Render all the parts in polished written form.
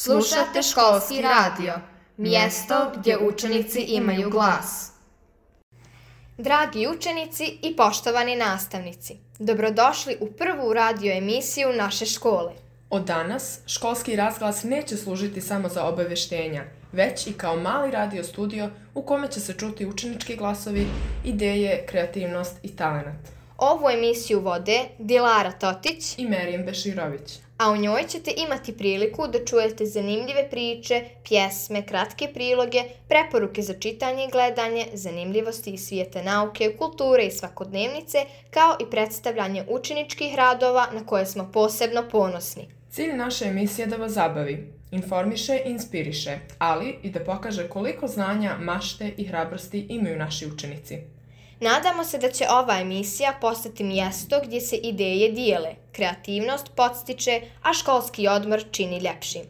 Slušate školski radio, mjesto gdje učenici imaju glas. Dragi učenici i poštovani nastavnici, dobrodošli u prvu radio emisiju naše škole. Od danas školski razglas neće služiti samo za obavještenja, već i kao mali radio studio u kome će se čuti učenički glasovi, ideje, kreativnost i talenat. Ovu emisiju vode Dilara Totić I Merijem Beširović. A u njoj ćete imati priliku da čujete zanimljive priče, pjesme, kratke priloge, preporuke za čitanje i gledanje, zanimljivosti iz svijeta nauke, kulture i svakodnevnice, kao i predstavljanje učeničkih radova na koje smo posebno ponosni. Cilj naše emisije je da vas zabavi, informiše i inspiriše, ali i da pokaže koliko znanja, mašte i hrabrosti imaju naši učenici. Nadamo se da će ova emisija postati mjesto gdje se ideje dijele, kreativnost podstiče, a školski odmor čini ljepšim.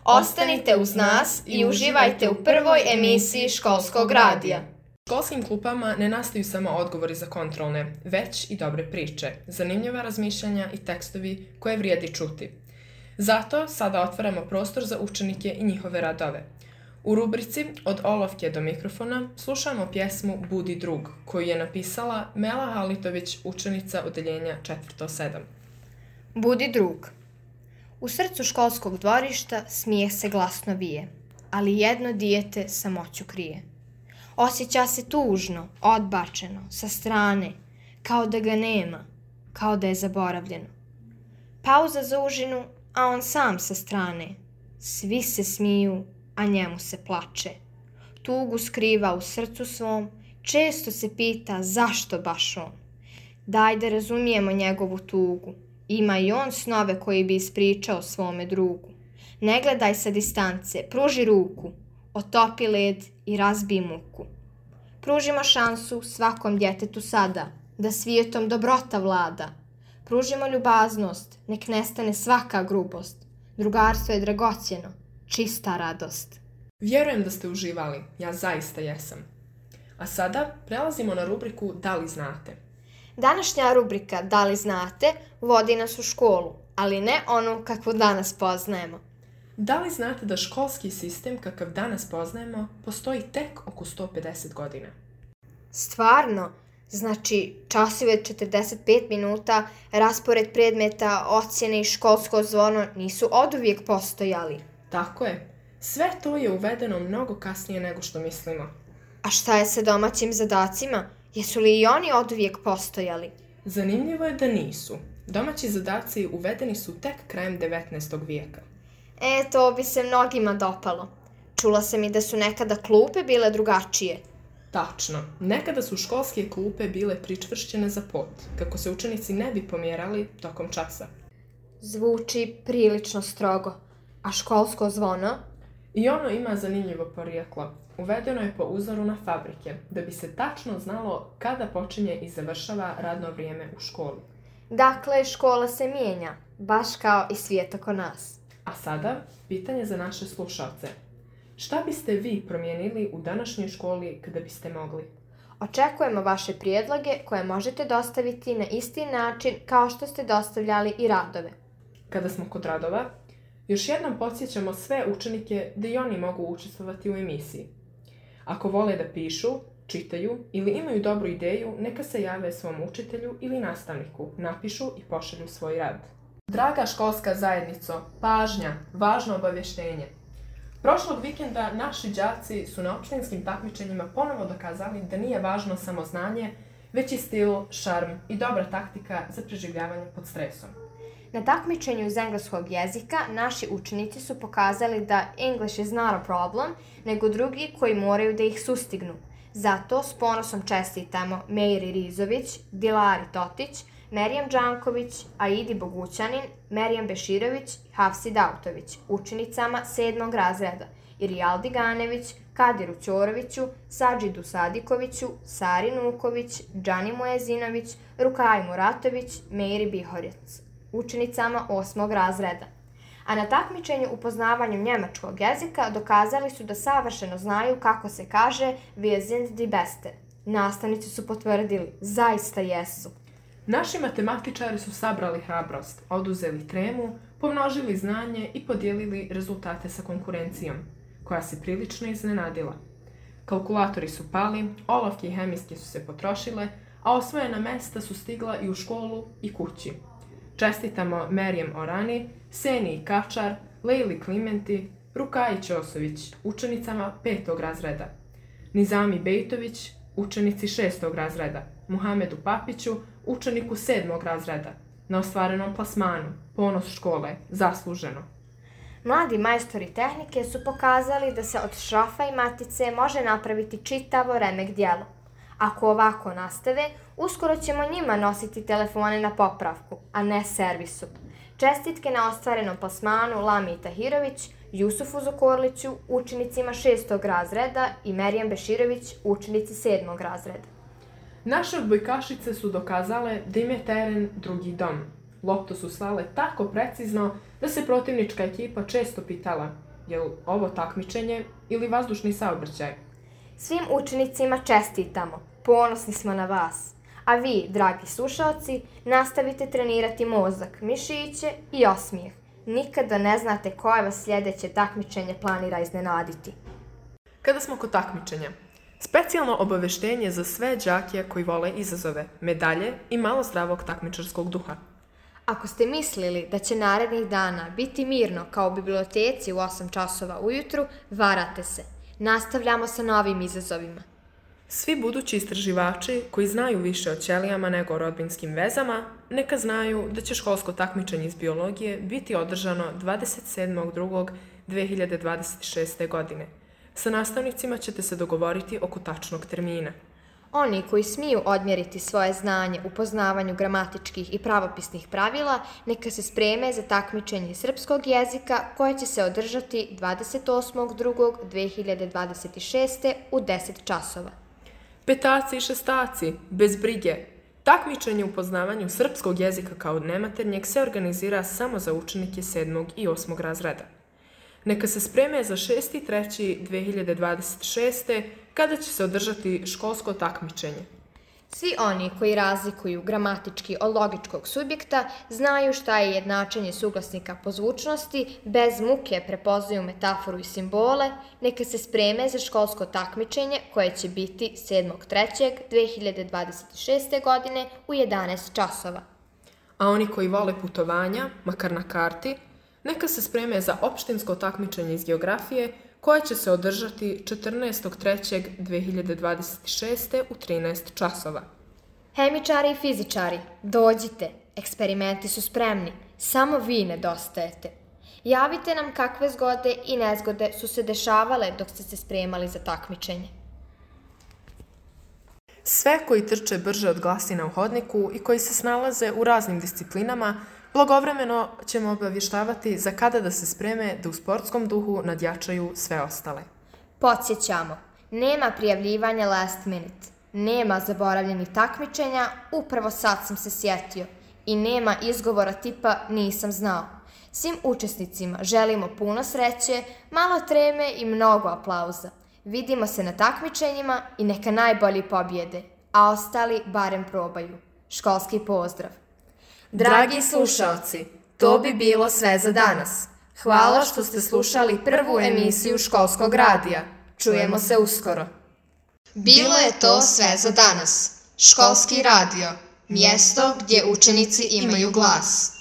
Ostanite uz nas i uživajte u prvoj emisiji školskog radija. U školskim klupama ne nastaju samo odgovori za kontrolne, već i dobre priče, zanimljiva razmišljanja i tekstovi koje vrijedi čuti. Zato sada otvaramo prostor za učenike i njihove radove. U rubrici Od olovke do mikrofona slušamo pjesmu Budi drug, koju je napisala Mela Halitović, učenica odeljenja 4.7. Budi drug. U srcu školskog dvorišta smijeh se glasno vije, ali jedno dijete samoću krije. Osjeća se tužno, odbačeno, sa strane, kao da ga nema, kao da je zaboravljeno. Pauza za užinu, a on sam sa strane. Svi se smiju, a njemu se plače. Tugu skriva u srcu svom, često se pita zašto baš on. Daj da razumijemo njegovu tugu, ima i on snove koji bi ispričao svome drugu. Ne gledaj sa distance, pruži ruku, otopi led i razbij muku. Pružimo šansu svakom djetetu sada, da svijetom dobrota vlada. Pružimo ljubaznost, nek nestane svaka grubost. Drugarstvo je dragocjeno, čista radost. Vjerujem da ste uživali, ja zaista jesam. A sada prelazimo na rubriku Da li znate? Današnja rubrika Da li znate vodi nas u školu, ali ne onu kakvu danas poznajemo. Da li znate da školski sistem kakav danas poznajemo postoji tek oko 150 godina? Stvarno? Znači, časovi od 45 minuta, raspored predmeta, ocjene i školsko zvono nisu oduvijek postojali. Tako je. Sve to je uvedeno mnogo kasnije nego što mislimo. A šta je sa domaćim zadacima? Jesu li i oni oduvijek postojali? Zanimljivo je da nisu. Domaći zadaci uvedeni su tek krajem 19. vijeka. To bi se mnogima dopalo. Čula sam i da su nekada klupe bile drugačije. Tačno. Nekada su školske klupe bile pričvršćene za pod, kako se učenici ne bi pomjerali tokom časa. Zvuči prilično strogo. A školsko zvono? I ono ima zanimljivo porijeklo. Uvedeno je po uzoru na fabrike, da bi se tačno znalo kada počinje i završava radno vrijeme u školi. Dakle, škola se mijenja, baš kao i svijet oko nas. A sada, pitanje za naše slušalce. Šta biste vi promijenili u današnjoj školi kada biste mogli? Očekujemo vaše prijedloge koje možete dostaviti na isti način kao što ste dostavljali i radove. Kada smo kod radova, još jednom podsjećamo sve učenike da i oni mogu učestvovati u emisiji. Ako vole da pišu, čitaju ili imaju dobru ideju, neka se jave svom učitelju ili nastavniku, napišu i pošalju svoj rad. Draga školska zajednico, pažnja, važno obavještenje. Prošlog vikenda naši đaci su na opštinskim takmičenjima ponovo dokazali da nije važno samo znanje, već i stil, šarm i dobra taktika za preživljavanje pod stresom. Na takmičenju iz engleskog jezika naši učenici su pokazali da English is not a problem, nego drugi koji moraju da ih sustignu. Zato s ponosom čestitamo Mejri Rizović, Dilari Totić, Merijem Đanković, Aidi Bogućanin, Merijem Beširović i Hafsi Dautović, učenicama 7. razreda, i Rijaldi Ganević, Kadiru Ćoroviću, Sadžidu Sadikoviću, Sari Nuković, Džani Muezinović, Rukaji Muratović, Mejri Bihorec, učenicama 8. razreda. A na takmičenju u poznavanju njemačkog jezika dokazali su da savršeno znaju kako se kaže Wir sind die Beste. Nastavnici su potvrdili, zaista jesu. Naši matematičari su sabrali hrabrost, oduzeli tremu, pomnožili znanje i podijelili rezultate sa konkurencijom, koja se prilično iznenadila. Kalkulatori su pali, olovke i hemijske su se potrošile, a osvojena mesta su stigla i u školu i kući. Čestitamo Merijem Orani, Seniji Kačar, Lejli Klimenti, Rukaji Ćosović, učenicama 5. razreda, Nizami Bejtović, učenici 6. razreda, Muhamedu Papiću, učeniku 7. razreda, na ostvarenom plasmanu, ponos škole, zasluženo. Mladi majstori tehnike su pokazali da se od šrafa i matice može napraviti čitavo remek djelo. Ako ovako nastave, uskoro ćemo njima nositi telefone na popravku, a ne servisu. Čestitke na ostvarenom plasmanu Lami Tahirović, Jusufu Zukorliću, učenicima 6. razreda i Merijem Beširović, učenici 7. razreda. Naše odbojkašice su dokazale da im je teren drugi dom. Loptu su slale tako precizno da se protivnička ekipa često pitala je li ovo takmičenje ili vazdušni saobraćaj. Svim učenicima čestitamo, ponosni smo na vas. A vi, dragi slušaoci, nastavite trenirati mozak, mišiće i osmijeh. Nikada ne znate koje vas sljedeće takmičenje planira iznenaditi. Kada smo kod takmičenja, specijalno obaveštenje za sve đake koji vole izazove, medalje i malo zdravog takmičarskog duha. Ako ste mislili da će narednih dana biti mirno kao u biblioteci u 8 časova ujutru, varate se. Nastavljamo sa novim izazovima. Svi budući istraživači koji znaju više o ćelijama nego o rodbinskim vezama, neka znaju da će školsko takmičenje iz biologije biti održano 27.2.2026. godine. Sa nastavnicima ćete se dogovoriti oko tačnog termina. Oni koji smiju odmjeriti svoje znanje u poznavanju gramatičkih i pravopisnih pravila, neka se spreme za takmičenje srpskog jezika koje će se održati 28.2.2026. u 10 časova. Petaci i šestaci, bez brige. Takmičenje u poznavanju srpskog jezika kao nematernjeg se organizira samo za učenike 7. i 8. razreda. Neka se spreme za 6.3.2026. kada će se održati školsko takmičenje. Svi oni koji razlikuju gramatički od logičkog subjekta znaju šta je jednačenje suglasnika po zvučnosti, bez muke prepoznaju metaforu i simbole, neka se spreme za školsko takmičenje koje će biti 7.3.2026. godine u 11 časova. A oni koji vole putovanja, makar na karti, neka se spreme za opštinsko takmičenje iz geografije koje će se održati 14.3.2026. u 13 časova. Hemičari i fizičari, dođite, eksperimenti su spremni, samo vi nedostajete. Javite nam kakve zgode i nezgode su se dešavale dok ste se spremali za takmičenje. Sve koji trče brže od glasina u hodniku i koji se snalaze u raznim disciplinama, blagovremeno ćemo obavještavati za kada da se spreme da u sportskom duhu nadjačaju sve ostale. Podsjećamo, nema prijavljivanja last minute, nema zaboravljenih takmičenja, upravo sad sam se sjetio, i nema izgovora tipa nisam znao. Svim učesnicima želimo puno sreće, malo treme i mnogo aplauza. Vidimo se na takmičenjima i neka najbolji pobjede, a ostali barem probaju. Školski pozdrav. Dragi slušaoci, to bi bilo sve za danas. Hvala što ste slušali prvu emisiju Školskog radija. Čujemo se uskoro. Bilo je to sve za danas. Školski radio, mjesto gdje učenici imaju glas.